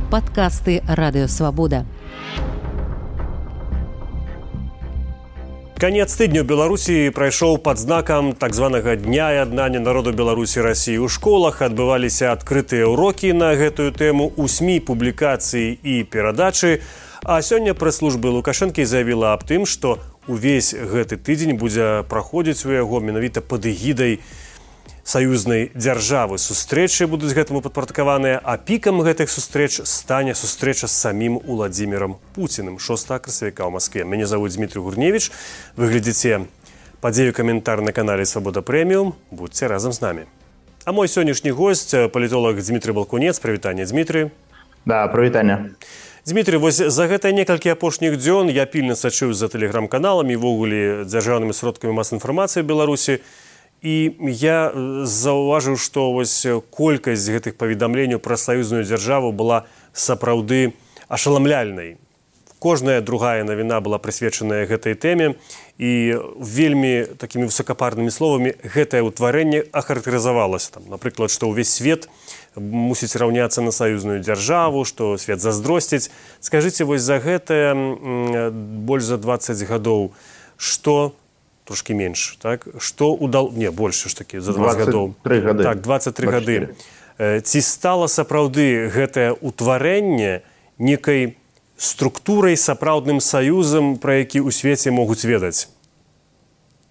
Падкасты Радыёвабода. Канец тыдня ў Беларусі прайшоў пад знакам так званага Дня яднання народу Беларусі Расіі. У школах адбываліся адкрытыя ўрокі на гэтую тэму, у СМІ публікацыі і перадачы. А сёння прэс-служба Лукашэнкі заявіла аб тым, што увесь гэты тыдзень будзе праходзіць у яго менавіта пад эгідай саюзнай дзяржавы. Сустрэчы будуць гэтаму падпарадкаваныя, а пікам гэтых сустрэч стане сустрэча з самім Уладзімірам Пуціным 6 красавіка ў Маскве. Мяне завуць Дмітрий Гурневіч. Вы глядзіце падзею каментар на канале Свабода Прэміум. Будьце разам з намі. А мой сённяшні госць палітолог Дмітрий Балкунец. Прывітанне, Дмітрий. Да, прывітанне. Дмітрий, вось за гэта некалькі апошніх дзён я пільна сачыў за тэлеграм-каналамі, ввогуле дзяржаўнымі сродкамі масавай інфармацыі ў Беларусі. І я заўважыў, што вось колькасць гэтых паведамленняў пра саюзную дзяржаву была сапраўды ашаламляльнай. Кожная другая навіна была прысвечаная гэтай тэме, і вельмі такімі высокапарнымі словамі гэтае ўтварэнне ахарактарызавалася. Напрыклад, што ўвесь свет мусіць раўняцца на саюзную дзяржаву, што свет заздросціць. Скажыце, вось за гэтае больш за 20 гадоў, што трошки менш, так? Што удал... Не, больше ж такі, за 20 гадоў. 23 гады. Так, 23 гады. Ці стала сапраўды гэтае ўтварэнне некай структурай, сапраўдным саюзам, пра які ў свеце могуць ведаць?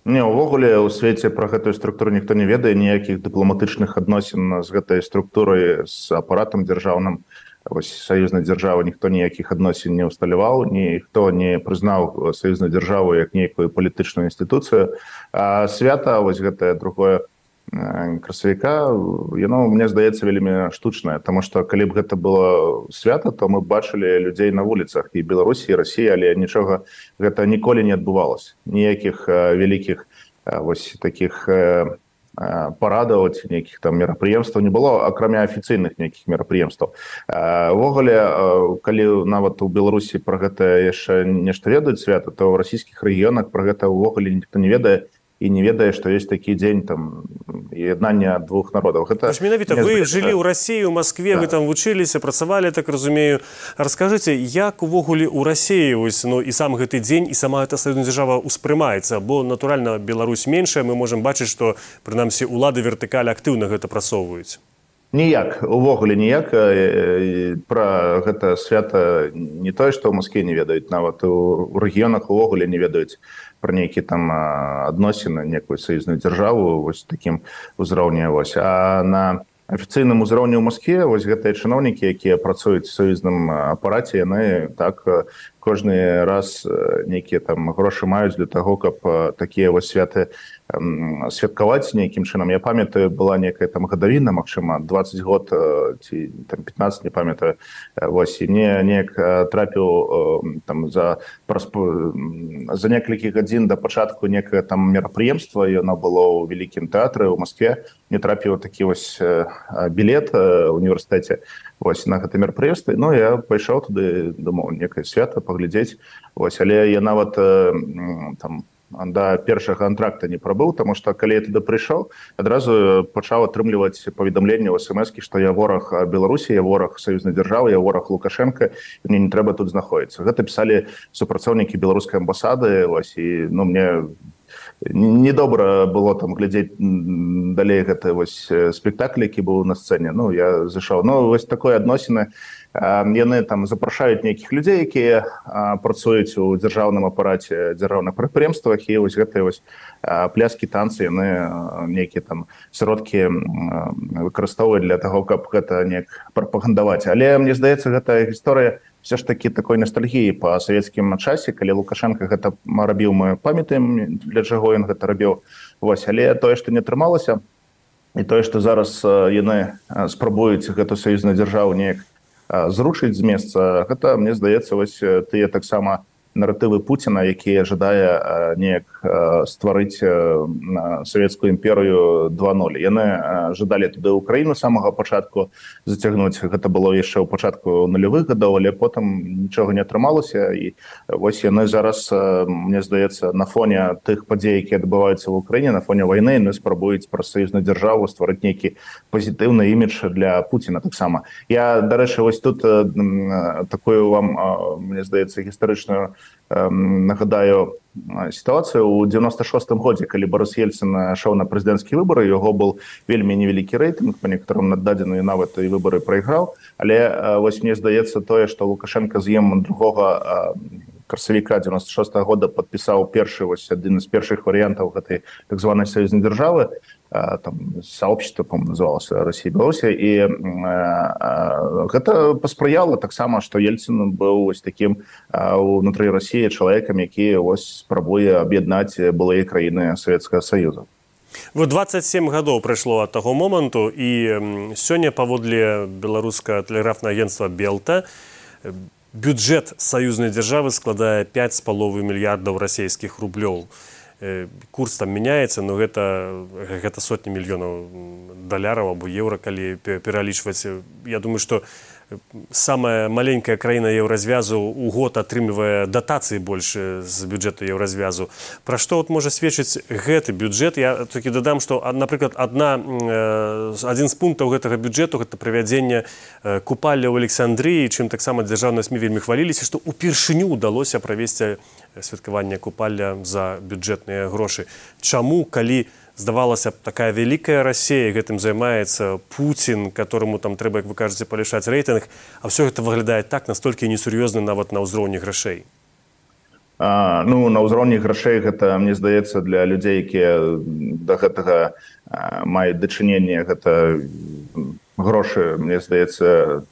Не, увогуле ў свеце пра гэтую структуру ніхто не ведае, ніякіх дыпламатычных адносін з гэтай структурай, з апаратам дзяржаўным. Вось саюзнай дзяржавы ніхто ніякіх адносін не ўсталяваў, ніхто не прызнаў саюзную дзяржаву як нейкую палітычную інстытуцыю. А свята, вось гэтае другое красавіка, яно, мне здаецца, вельмі штучнае, таму што калі б гэта было свята, то мы бачылі людзей на вуліцах і Беларусі, і Расіі, але нічога гэта ніколі не адбывалася. Ніякіх вялікіх вось такіх парадаў ці нейкіх там мерапрыемстваў не было, акрамя афіцыйных нейкіх мерапрыемстваў. Увогуле, калі нават у Беларусі пра гэта яшчэ нешта ведаюць свята, то ў расійскіх рэгіёнах пра гэта ўвогуле ніхто не ведае і не ведае, што ёсць такі дзень там яднання двух народаў. Гэта менавіта вы жылі ў Расіі, у Маскве, да. Вы там вучыліся, працавалі, так разумею. Раскажыце, як увогуле ў Расіі вось, ну, і сам гэты дзень, і сама гэта саюзная дзяржава ўспрымаецца, бо, натуральна, Беларусь меншая, мы можам бачыць, што, прынамсі, улады вертыкалі актыўна гэта прасоўваюць. Ніяк, увогуле ніяк. Пра гэта свята не тое, што ў Маскве не ведаюць, нават у рэгіёнах увогуле не ведаюць пра нейкі там адносіны, некую саюзную дзяржаву вось такім узроўні. А на афіцыйным узроўні ў Маскве вось гэтыя чыноўнікі, якія працуюць у саюзным апараце, яны так кожны раз нейкія там грошы маюць для таго, каб такія вось святы святкаваць нейкім чынам. Я памятаю, была некая там гадавіна, магчыма, 20 год ці там 15, не памятаю. Вось, і мне неяк трапіў там за некалькі гадзін да пачатку некае там мерапрыемства, яно было ў вялікім тэатры ў Маскве. Мне трапіў такі вось білет ў універсітэце вось на гэта мерапрыемства. Ну, я пайшоў туды, думаў, некае свята паглядзець. Вось, але я нават там да першага антракта не прабыў, таму што калі я туды прыйшоў, адразу пачаў атрымліваць паведамленне ў смс-кі, што я вораг Беларусі, я вораг саюзнай дзяржавы, я вораг Лукашэнка, мне не трэба тут знаходзіцца. Гэта пісалі супрацоўнікі беларускай амбасады, вось, і ну, мне недобра было там глядзець далей гэты вось спектакль, які быў на сцэне. Ну, я зайшоў. Ну, вось такое адносіны. Яны там запрашаюць нейкіх людзей, якія працуюць у дзяржаўным апараце, дзяржаўных прадпрыемствах, і вось гэтыя вось пляскі, танцы, яны нейкія там сродкі выкарыстоўваюць для таго, каб гэта неяк прапагандаваць. Але мне здаецца, гэта гісторыя все ж такі такой ностальгіі па савецкім часе, калі Лукашенко гэта рабіў, мы памятаем, для чаго ён гэта рабіў. Вось, але тое, што не атрымалася, і тое, што зараз яны спрабуюць гэту саюзную дзяржаву неяк зрушыць з месца, гэта, мне здаецца, вось тыя таксама наратывы Пуціна, які жадае неяк стварыць савецкую імперыю 2.0. Яны жадалі туды Украіну з самага пачатку зацягнуць. Гэта было яшчэ ў пачатку нулявых гадоў, але потым нічога не атрымалася. І вось яны зараз, мне здаецца, на фоне тых падзей, якія адбываюцца в Украіне, на фоне вайны, яны спрабуюць праз саюзную дзяржаву стварыць нейкі пазітыўны імідж для Пуціна таксама. Я, дарэчы, вось тут такую вам, мне здаецца, гістарычную нагадаю сітуацыю. У 96-м годзе, калі Борис Ельцин ішоў на прэзідэнцкія выбары, яго был вельмі невялікі рэйтынг, па некаторым наддадзены нават і выбары прайграў. Але вось мне здаецца тое, што Лукашенко з ім другога красавіка 96-го года падпісаў першы, вось адзін з першых варыянтаў гэтай так званай саюзнай дзяржавы, там сообщество, по-моему, называлася Россия и Белоруссия, и гэта паспрыяла таксама, што Ельцин быў вось такім унутры России чалавекам, які вось спрабуе аб'яднаць былыя краіны Савецкага Саюза. Вот 27 гадоў прайшло ад таго моманту, і сёння паводле беларускага тэлеграфнага агенцтва Белта бюджэт саюзнай дзяржавы складае 5,5 мільярдаў расійскіх рублёў. Курс там мяняецца, но гэта сотні мільёнаў даляраў або еўра, калі пералічваць. Я думаю, што самая маленькая краіна еўразвязу ў год атрымлівае датацыі больш з бюджэту еўразвязу. Пра што можа сведчыць гэты бюджэт? Я толькі дадам, што, напрыклад, адзін з пунктаў гэтага бюджэту гэта правядзенне купалля ў Александрыі, чым таксама дзяржаўныя СМІ вельмі хваліліся, што ўпершыню ўдалося правесці святкаванне купалля за бюджэтныя грошы. Чаму, калі здавалася б, такая вялікая Расія, гэтым займаецца Пуцін, которому там трэба, як вы кажаце, палішаць рэйтынг, а все гэта выглядае так настолькі несур'ёзна нават на ўзроўні грашэй? Ну, на ўзроўні грашэй гэта, мне здаецца, для людзей, якія да гэтага маюць дачыненне, гэта грошы, мне здаецца,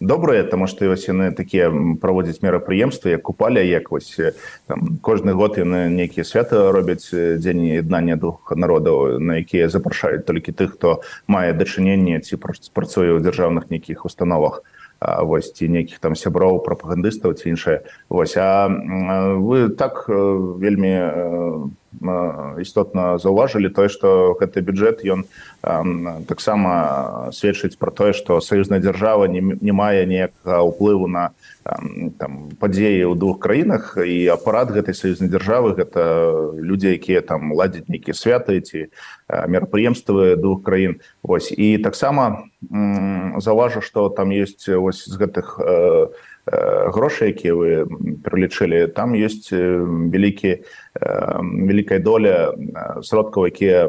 добрыя, таму што вось яны такія праводзяць мерапрыемствы, як купаля, як вось там кожны год яны нейкія святы робяць, дзень яднання двух народаў, на якія запрашаюць толькі тых, хто мае дачыненне ці працуе ў дзяржаўных нейкіх установах, вось, ці нейкіх там сяброў, прапагандыстаў ці іншае. Вось, а вы так вельмі істотна заўважылі тое, што гэты бюджэт, ён таксама сведчыць пра тое, што саюзная дзяржава не мае ніякага ўплыву на падзеі ў двух краінах, і апарат гэтай саюзнай дзяржавы гэта людзі, якія там ладзяць нейкія святы ці мерапрыемствы двух краін. Вось, і таксама заўважу, што там ёсць вось з гэтых грошай, якія вы пералічылі, там ёсць вялікая доля сродкаў, якія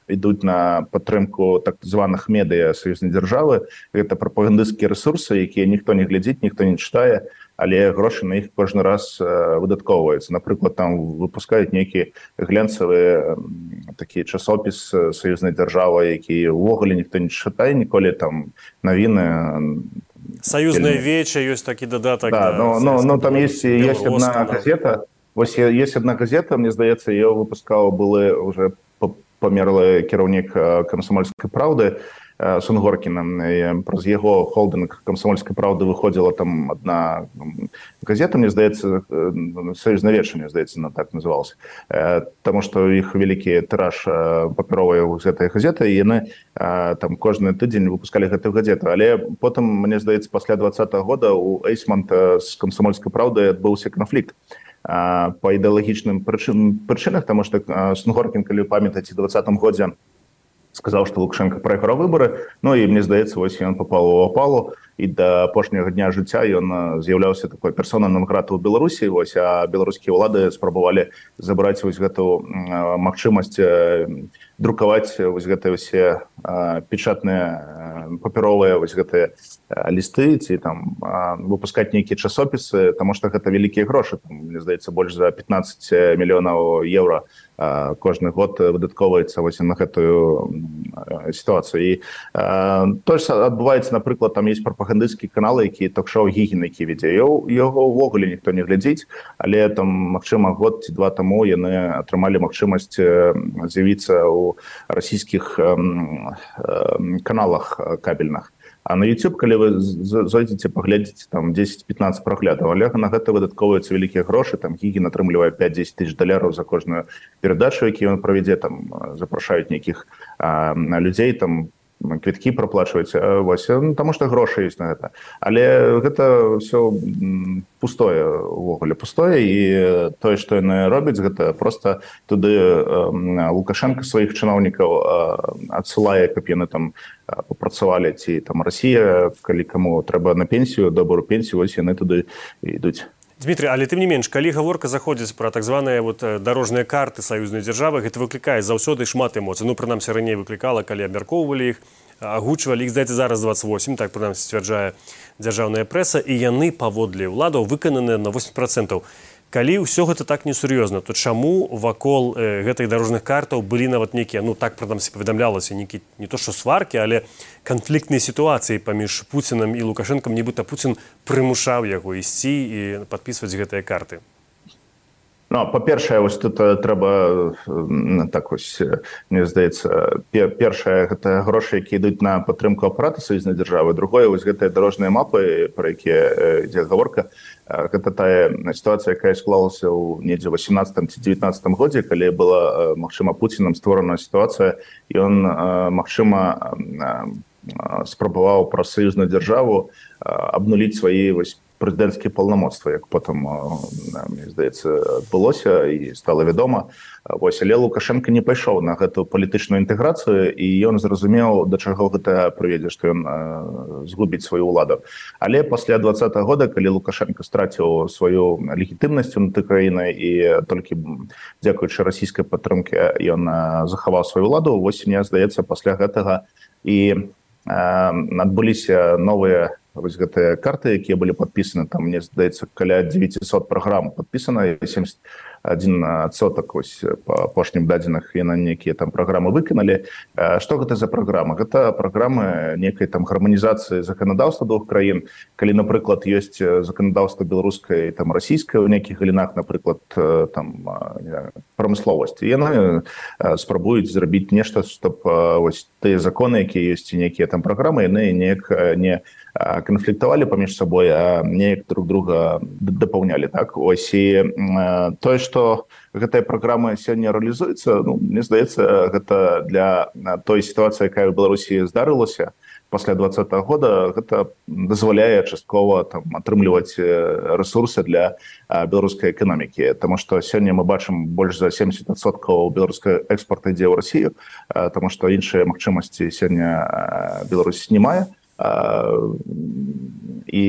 ідуць на падтрымку так званых медыя саюзнай дзяржавы. Гэта прапагандысцкія рэсурсы, якія ніхто не глядзіць, ніхто не чытае, але грошы на іх кожны раз выдаткоўваюцца. Напрыклад, там выпускаюць нейкі глянцавы такі часопіс саюзнай дзяржавы, які ўвогуле ніхто не чытае ніколі, там навіны. Союзная веча, есть такие додаток. Да, но там есть одна газета. Вось есть одна газета, мне здаецца, ее выпускаў былы уже памерлы кіраўнік «Камсомольскай правды» Сунгоркіна. Праз яго холдинг «Комсомольской правды» выходила там одна газета, мне здаецца, «Союзная веча», мне здаецца, она так называлась. Потому что іх вялікі тираж папяровай з гэтай газеты, і яны там кожны тыдзень выпускалі гэтую газету. Але потым, мне здаецца, пасля 2020 года у Эйсмонт з «Комсомольской правды» адбыўся канфлікт по ідэалагічным прычынах, тому што Сунгоркін, калі памятаеце, у 2020 годзе сказаў, што Лукашенко прайграў выбары, ну і мне здаецца, вось ён папаў у апалу, і да апошняга дня жыцця ён з'яўляўся такой персонай нон-грата ў Беларусі, вось, а беларускія ўлады спрабавалі забраць вось гэту магчымасць друкаваць вось гэтыя ўсе печатныя папяровыя вось гэтыя лісты ці там выпускаць нейкія часопісы, таму што гэта вялікія грошы, там, мне здаецца, больш за 15 мільёнаў еўра кожны год выдаткоўваецца вось на гэтую сітуацыю. І тое ж адбываецца, напрыклад, там ёсць прапагандысцкія каналы, які ток-шоу Гігін, які вядзе. Яго ўвогуле ніхто не глядзіць, але там, магчыма, год ці два таму яны атрымалі магчымасць з'явіцца ў расійскіх каналах кабельных. А на YouTube, калі вы зойдзеце, паглядзіце там 10-15 праглядаў, але на гэта выдаткоўваюцца вялікія грошы, там Гігін атрымлівае 5-10 тысяч долараў за кожную перадачу, які ён правядзе, там запрашаюць нейкіх людзей, там квіткі праплачваюць, вось, таму што грошы ёсць на гэта. Але гэта ўсё пустое, увогуле пустое, і тое, што яны робяць, гэта проста туды Лукашенко сваіх чыноўнікаў адсылае, каб яны там папрацавалі, ці там Расія, калі каму трэба на пенсію, добрую пенсію, вось яны туды ідуць. Дмітрий, але тым не менш, калі гаворка заходзіць пра так званыя дарожныя карты саюзнай дзяржавы, гэта выклікае заўсёды шмат эмоцый. Ну, прынамсі, раней выклікала, калі абмяркоўвалі іх, агучвалі іх, здаецца, зараз 28, так прынамсі сцвярджае дзяржаўная прэса, і яны паводле ўладаў выкананыя на 80%. Калі ўсё гэта так несур'ёзна, то чаму вакол гэтых дарожных картаў былі нават нейкія, ну так прынамсі паведамлялася, нейкія не то што сваркі, але канфліктныя сітуацыі паміж Пуцінам і Лукашэнкам, нібыта Пуцін прымушаў яго ісці і падпісваць гэтыя карты? Ну, па-першае, вось тут трэба, так вось, мне здаецца, першае, гэта грошы, які ідуць на падтрымку апарата саюзнай дзяржавы, другое, вось гэтыя дарожныя мапы, пра якія ідзе гаворка, гэта тая сітуацыя, якая склалася ў недзе 18 ці 19 годзе, калі была, магчыма, Пуцінам створана сітуацыя, і ён, магчыма, спрабаваў праз саюзную дзяржаву абнуліць свае вось прэзідэнцкія паўнамоцтвы, як потым, мне здаецца, адбылося і стала вядома. Вось, але Лукашенко не пайшоў на гэту палітычную інтэграцыю, і ён зразумеў, да чаго гэта прывядзе, што ён згубіць сваю ўладу. Але пасля 2020 года, калі Лукашенко страціў сваю легітымнасць унутры краіны і толькі дзякуючы расійскай падтрымке ён захаваў сваю ўладу, вось, мне здаецца, пасля гэтага і адбыліся новыя вось гэтыя карты, якія былі падпісаны, там, мне здаецца, каля 900 праграм падпісана, 71% вось па апошнім дадзеных яны нейкія там праграмы выканалі. Што гэта за праграма? Гэта праграмы нейкай там гарманізацыі заканадаўства двух краін. Калі, напрыклад, ёсць заканадаўства беларускай, там, расійскай у нейкіх галінах, напрыклад, там, прамысловасці, яны спрабуюць зрабіць нешта, чтоб вось тыя законы, якія ёсць, нейкія там праграмы, яны неяк не канфліктавалі паміж сабой, а неяк друг друга дапаўнялі, так? Ось, і тое, што гэтая праграма сёння рэалізуецца, ну, мне здаецца, гэта для той сітуацыі, якая ў Беларусі здарылася пасля 2020 года, гэта дазваляе часткова там атрымліваць рэсурсы для беларускай эканомікі, таму што сёння мы бачым больш за 70% беларускай экспорта ідзе ў Расію, таму што іншыя магчымасці сёння Беларусь не мае. І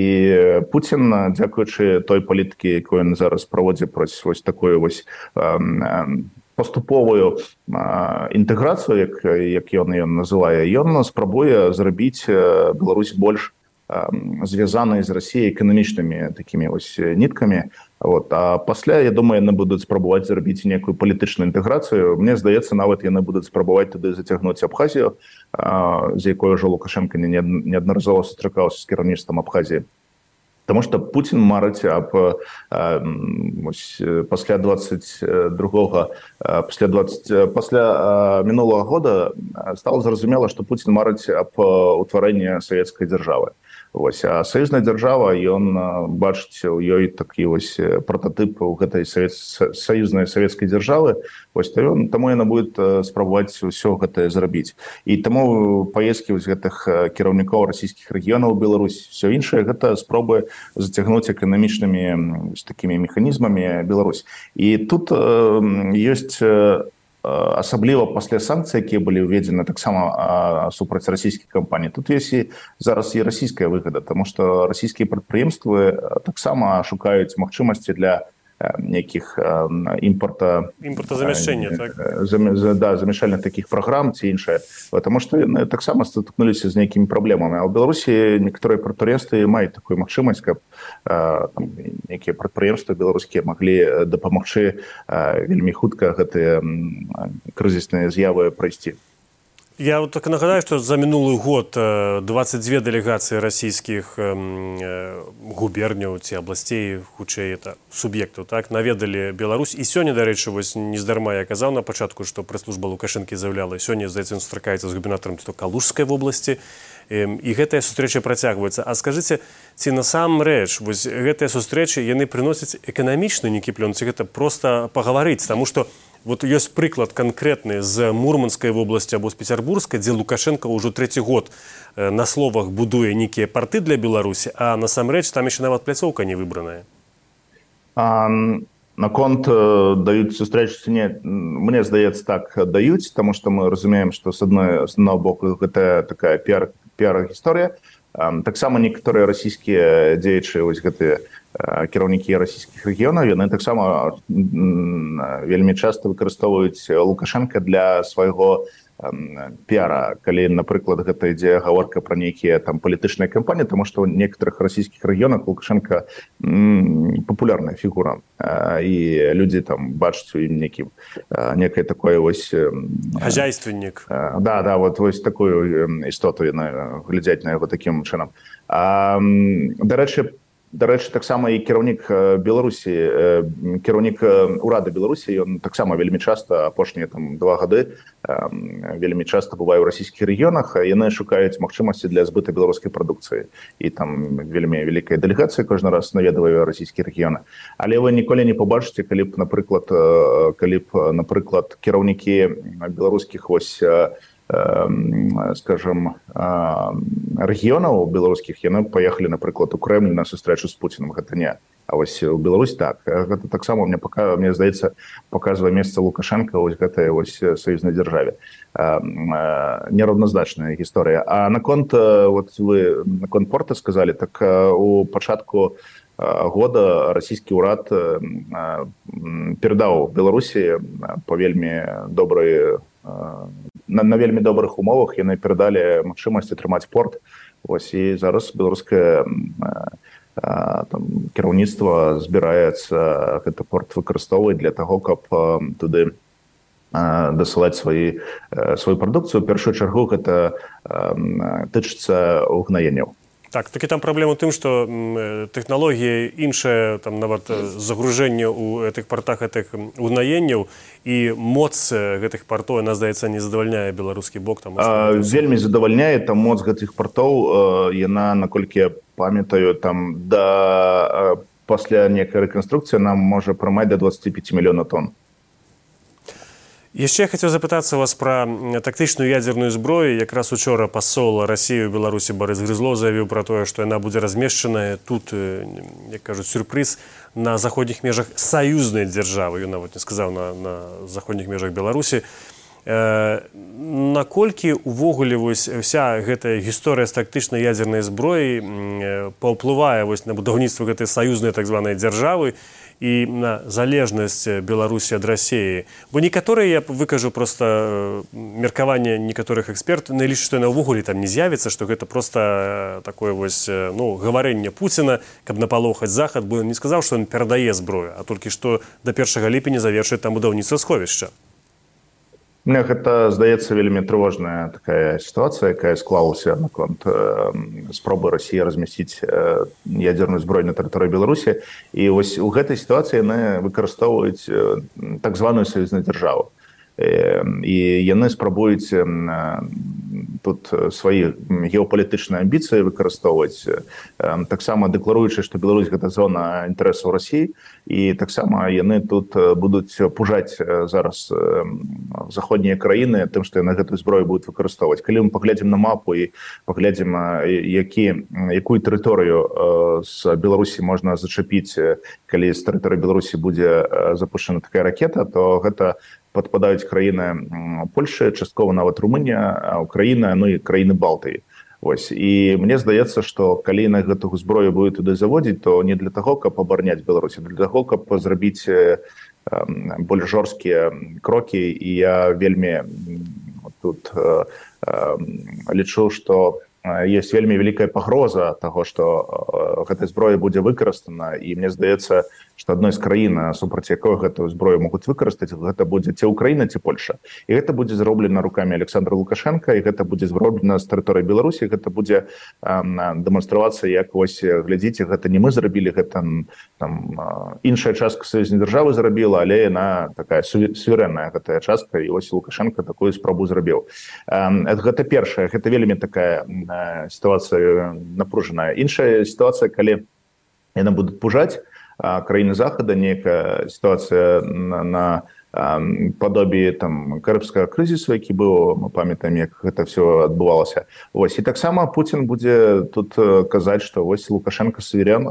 Пуцін, дзякуючы той палітыкі, якую ён зараз праводзіць праз вось такую вось паступовую інтэграцыю, як ён ее называе, ён спрабуе зрабіць Беларусь больш звязанай з Расіяй эканамічнымі такімі вось ніткамі. Вот. А пасля, я думаю, яны будуць спрабаваць зрабіць некую палітычную інтэграцыю. Мне здаецца, нават яны будуць спрабаваць туды зацягнуць Абхазію, з якой ўжо Лукашенко неаднаразова сустракаўся з кіраўніцтвам Абхазіі. Таму што Пуцін марыць аб пасля 22-го, пасля мінулага года стала зразумела, што Пуцін марыць аб утварэнні савецкай дзяржавы. Вось, а саюзная дзяржава, ён бачыць у ёй такі вось прататып у гэтай саюзнай савецкай дзяржавы, вось, таму яна будет спрабаваць усё гэтае зрабіць. І таму паездкі вось гэтых кіраўнікоў расійскіх рэгіёнаў у Беларусь, всё іншае, гэта спробы зацягнуць эканамічнымі такімі механізмамі Беларусь. І тут ёсць асабліва пасля санкцый, якія былі ўведзены таксама супраць расійскіх кампаній. Тут ёсць і зараз і расійская выгада, таму што расійскія прадпрыемствы таксама шукаюць магчымасці для нейкіх імпортазамяшчэння, так? Замяшальных такіх праграм ці іншае, потому што яны таксама стыкнуліся з нейкімі праблемамі. А ў Беларусі некаторыя прадпрыемствы маюць такую магчымасць, каб нейкія прадпрыемствы беларускія маглі дапамагчы вельмі хутка гэтыя крызісныя з'явы прайсці. Я вот так нагадаю, что за минулый год 22 делегации российских губерняў ці областей, хутчэй это суб'ектаў, так, наведалі Беларусь. І сёння, дарэчы, вось нездарма я казаў на пачатку, што прэс-служба Лукашэнкі заяўляла, сёння, здаецца, ён сустракаецца з губернатарам Калужскай вобласці. І гэтая сустрэча працягваецца. А скажыце, ці насамрэч вось гэтыя сустрэчы яны прыносяць эканамічны нейкі плён, ці гэта проста пагаварыць, таму што вот ёсць прыклад канкрэтны з Мурманскай вобласці або з Пецярбургскай, дзе Лукашенко ўжо трэці год на словах будуе нейкія парты для Беларусі, а насамрэч там яшчэ нават пляцоўка не выбраная. Наконт даюць сустрэчы ці не, мне здаецца, так даюць, таму што мы разумеем, што з аднаго боку гэта такая піар-гісторыя. Таксама некаторыя расійскія дзеячы, вось гэтыя кіраўнікі расійскіх рэгіёнаў, яны таксама вельмі часта выкарыстоўваюць Лукашенка для свайго піара, калі, напрыклад, гэта ідзе гаворка пра нейкія там палітычныя кампаніі, таму што ў некаторых расійскіх рэгіёнах Лукашенка папулярная фігура, і людзі там бачаць у ім некае такое вось хозяйственнік. Да, вот вось такую істоту яны глядзяць на яго такім чынам. Дарэчы, таксама і кіраўнік Беларусі, кіраўнік урада Беларусі, ён таксама вельмі часта, апошнія 2 гады, вельмі часта бывае ў расійскіх рэгіёнах, яны шукаюць магчымасці для збыта беларускай прадукцыі. І там вельмі вялікая дэлегацыя кожны раз наведвае расійскія рэгіёны. Але вы ніколі не пабачыце, калі б, напрыклад, кіраўнікі беларускіх вось, скажем, рэгіёнаў беларускіх, яны паехалі, напрыклад, у Крэмль на сустрэчу з Пуціным, гэта не. А вось у Беларусь так. Гэта таксама, мне здаецца, паказвае месца Лукашенка вось гэтай вось саюзнай дзяржаве. Нераўназначная гісторыя. А наконт, вот вы наконт порта сказалі, так у пачатку года расійскі ўрад перадаў Беларусі па вельмі добрай на вельмі добрых умовах, яны перадалі магчымасць атрымаць порт. Вось, і зараз беларускае кіраўніцтва збіраецца гэты порт выкарыстоўваць для таго, каб туды дасылаць сваю прадукцыю. У першую чаргу гэта тычыцца угнаенняў. Так, такі там праблема ў тым, што тэхналогія іншая, там нават загружэнне ў гэтых партах гэтых угнаенняў, і моц гэтых партоў, яна, здаецца, не задавальняе беларускі бок. Вельмі задавальняе, там моц гэтых партоў, яна, наколькі я памятаю, там пасля нейкай рэканструкцыі нам можа прымаць до 25 мільёнаў тонн. Яшчэ я хацеў запытацца вас пра тактычную ядзерную зброю. Якраз учора пасол Расіі ў Беларусі Барыс Грызлоў заявіў пра тое, што яна будзе размешчаная тут, як кажуць, сюрпрыз, на заходніх межах саюзнай дзяржавы. Ён нават не сказаў на заходніх межах Беларусі. Наколькі увогуле вось вся гэтая гісторыя з тактычнай ядзернай зброяй паўплывае вось на будаўніцтва гэтай саюзнай так званай дзяржавы і на залежнасць Беларусі ад Расіі? Бо некаторыя, я выкажу проста меркаванне некаторых экспертаў, не лічаць, што яна ўвогуле там не з'явіцца, што гэта проста такое вось, гаварэнне Пуціна, каб напалохаць Захад, бо ён не сказаў, што ён перадае зброю, а толькі што да 1 ліпеня завершыць там будаўніцтва сховішча. Мне гэта здаецца вельмі трывожная такая сітуацыя, якая склалася наконт спробы Расіі размясціць ядзерную зброю на тэрыторыі Беларусі. І вось у гэтай сітуацыі яны выкарыстоўваюць так званую саюзную дзяржаву. І яны спрабуюць тут свае геапалітычныя амбіцыі выкарыстоўваць, таксама дэкларуючы, што Беларусь гэта зона інтарэсаў Расіі, і таксама яны тут будуць пужаць зараз заходнія краіны тым, што яны гэтую зброю будуць выкарыстоўваць. Калі мы паглядзім на мапу і паглядзім, якую тэрыторыю з Беларусі можна зачапіць, калі з тэрыторыі Беларусі будзе запушчана такая ракета, то гэта падпадаюць краіны Польшы, часткова нават Румынія, Украіна, ну і краіны Балтыі. Вось. І мне здаецца, што калі на гэтую зброю будуць туды заводзіць, то не для таго, каб абараняць Беларусь, а для таго, каб зрабіць больш жорсткія крокі. І я вельмі тут лічу, што есть вельмі вялікая пагроза таго, што гэтая зброя будзе выкарыстана, і мне здаецца, што адной з краін, супраць якой гэтую зброю могуць выкарыстаць, гэта будзе ці Украіна, ці Польша. І гэта будзе зроблена рукамі Александра Лукашенка, і гэта будзе зроблена з тэрыторыі Беларусі, гэта будзе дэманстравацца, як вось глядзіце, гэта не мы зрабілі, гэта там іншая частка саюзнай дзяржавы зрабіла, але яна такая суверэнная гэтая частка, і вось Лукашенко такую спробу зрабіў. Гэта першае, гэта вельмі такая ситуация напружаная. Іншая ситуация, калі яны будуць пужаць краіны Захада, некая ситуация на падобі там карыбскага крызісу, які быў, мы памятаем, як гэта все адбывалася. Вось, і таксама Путін будзе тут казаць, што вось Лукашенко суверен,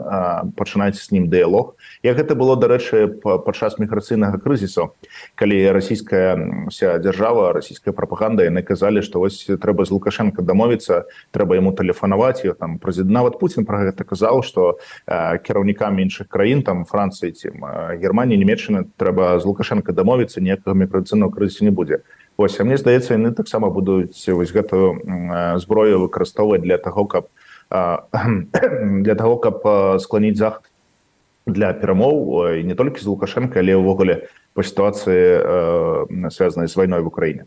пачынайце з ним дыялог. Як гэта было, дарэчы, падчас міграцыйнага крызісу, калі расійская вся дзяржава, расійская прапаганда, яны казалі, што вось трэба з Лукашенко дамовіцца, трэба яму тэлефанаваць, і там нават Путін пра гэта казаў, што кіраўнікам іншых краін, там Францыі, Германії, Нямецчыны, трэба з Лукашенко дамовіцца, ніякага міграцыйнага крызісу не будзе. Вось, а мне здаецца, яны таксама будуць вось гэтую зброю выкарыстоўваць для таго, каб скланіць Захад для перамоў, і не толькі з Лукашенко, але ўвогуле па сітуацыі, звязанай з вайной в Украіне.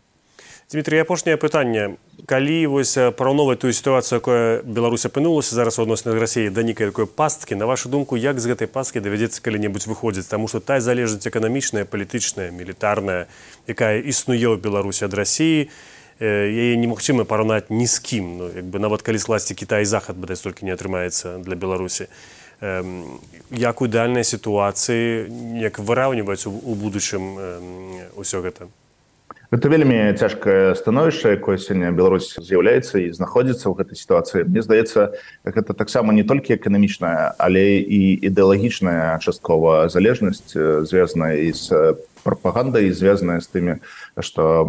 Дмітрий, апошняе пытанне. Калі вось параўноўваць тую сітуацыю, якая Беларусь апынулася зараз у адносінах Расіі да нейкай такой пасткі, на вашу думку, як з гэтай пасткі давядзецца калі-небудзь выходзіць? Таму што тая залежнасць эканамічная, палітычная, мілітарная, якая існуе ў Беларусі ад Расіі, яе немагчыма параўнаць ні з кім. Ну, як бы нават калі скласці Кітай і Захад, бадай столькі не атрымаецца для Беларусі. Як у ідэальнай сітуацыі, як выраўніваць у будучым усё гэта? Гэта вельмі цяжкае становішча, якое сёння Беларусь з'яўляецца і знаходзіцца ў гэтай сітуацыі. Мне здаецца, гэта таксама не толькі эканамічная, але і ідэалагічная часткова залежнасць, звязаная і з прапагандай, звязаная з тымі, што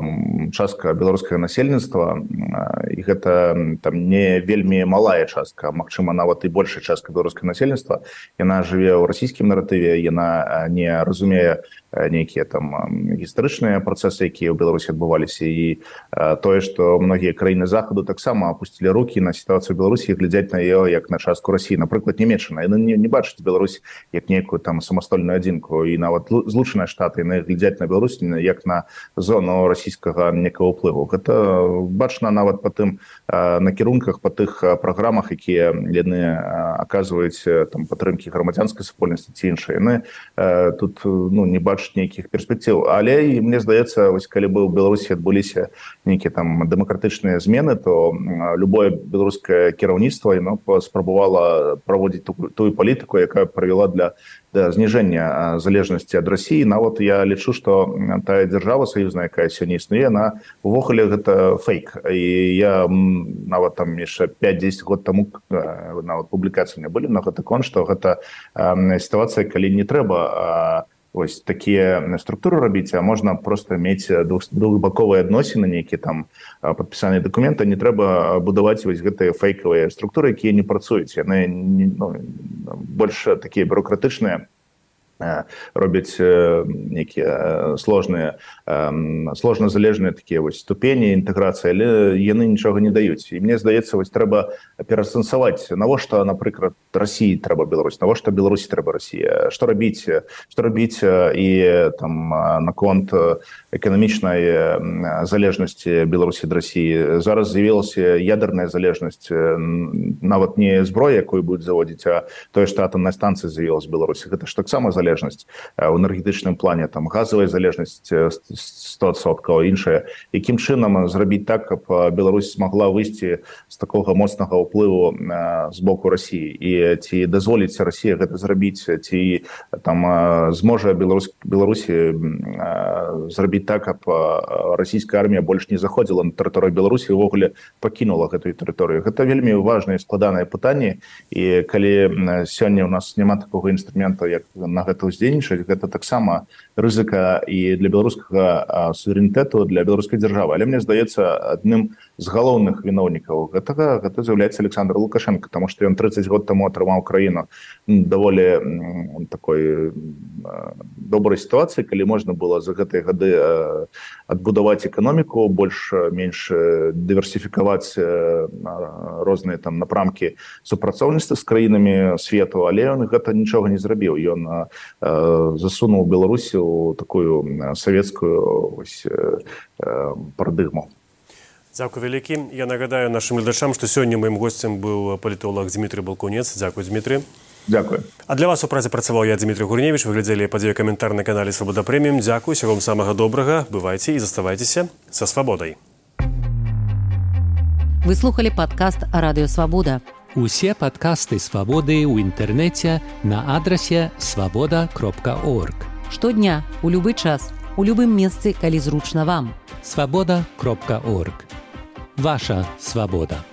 частка беларускага насельніцтва, і гэта там не вельмі малая частка, магчыма, нават і большая частка беларускага насельніцтва, яна жыве ў расійскім наратыве, яна не разумее нейкія там гістарычныя працэсы, якія ў Беларусі адбываліся, і тое, што многія краіны Захаду таксама апусцілі рукі на сітуацыю Беларусі і глядзяць на яе як на частку Расіі. Напрыклад, Нямецчына, яны не бачаць Беларусь як нейкую там самастольную адзінку, і нават Злучаныя Штаты, яны глядзяць на Беларусь як на зону расійскага некага ўплыву. Гэта бачна нават па тым накірунках, па тых праграмах, якія яны аказваюць там падтрымкі грамадзянскай супольнасці ці іншыя. Яны тут не бачаць нейкіх перспектыў. Але і мне здаецца, вось калі бы ў Беларусі адбыліся нейкія там дэмакратычныя змены, то любое беларускае кіраўніцтва яно спрабавала праводзіць тую палітыку, якая прывяла да зніжэння залежнасці ад Расіі. Нават я лічу, што тая дзяржава саюзная, якая сёння існуе, яна увогуле гэта фейк. І я нават там яшчэ 5-10 год таму нават публікацыі не былі на гэты конт, што гэта сітуацыя, калі не трэба ось такія структуры рабіць, а можна проста мець двухбаковыя адносіны, нейкія там падпісаныя дакументы, не трэба будаваць вось гэтыя фейкавыя структуры, якія не працуюць. Яны больш такія бюрократычныя, робяць нейкія сложна залежныя такія вось ступені інтэграцыі, але яны нічога не даюць. І мне здаецца, вось трэба пераасэнсаваць, навошта, напрыклад, Расіі трэба Беларусь, навошта Беларусі трэба Расія, што рабіць і там наконт эканамічнай залежнасці Беларусі ад Расіі. Зараз з'явілася ядерная залежнасць, нават не зброя, якую будуць заводзіць, а тое, што атамная станцыя з'явілася в Беларусі. Гэта ж таксама залежнасць у энергетычным плане, там газавая залежнасць 100%, іншая. Якім чынам зрабіць так, каб Беларусь смогла выйсці з такога моцнага ўплыву з боку Расіі, і ці дазволіць Расія гэта зрабіць, ці там зможа Беларусі зрабіць так, каб расійская армія больш не заходзіла на тэрыторыю Беларусі і ўвогуле пакінула гэтую тэрыторыю. Гэта вельмі важнае і складанае пытанне, і калі сёння ў нас няма такога інструмента, як на гэта ўздзейнічаць, гэта таксама рызыка і для беларускага суверэнітэту, для беларускай дзяржавы. Але мне здаецца, адным з галоўных віноўнікаў гэта з'яўляецца Александр Лукашенко, таму што ён 30 год таму атрымаў краіну даволі такой добрай сітуацыі, калі можна было за гэтыя гады адбудаваць эканоміку, больш-менш дыверсіфікаваць розныя там напрамкі супрацоўніцтва з краінамі свету, але ён гэта нічога не зрабіў. Ён засунуў Беларусі ў такую савецкую парадыгму. Дзякуй вялікі. Я нагадаю нашым гледачам, што сёння маім госцем быў палітолог Дмітрый Балкунец. Дзякуй, Дмітрый. Дзякуй. А для вас у працы працаваў я, Дмітрый Гурневіч. Вы глядзелі падзею каментар на канале Свабода Прэміум. Дзякуй, усяго вам самага добрага. Бывайце і заставайцеся са свабодай. Вы слухали падкаст Радыё Свабода. Усе падкасты Свабоды ў інтэрнэце на адрасе swaboda.org. Штодня, у любы час, у любым месцы, калі зручна вам. swaboda.org. Ваша свабода.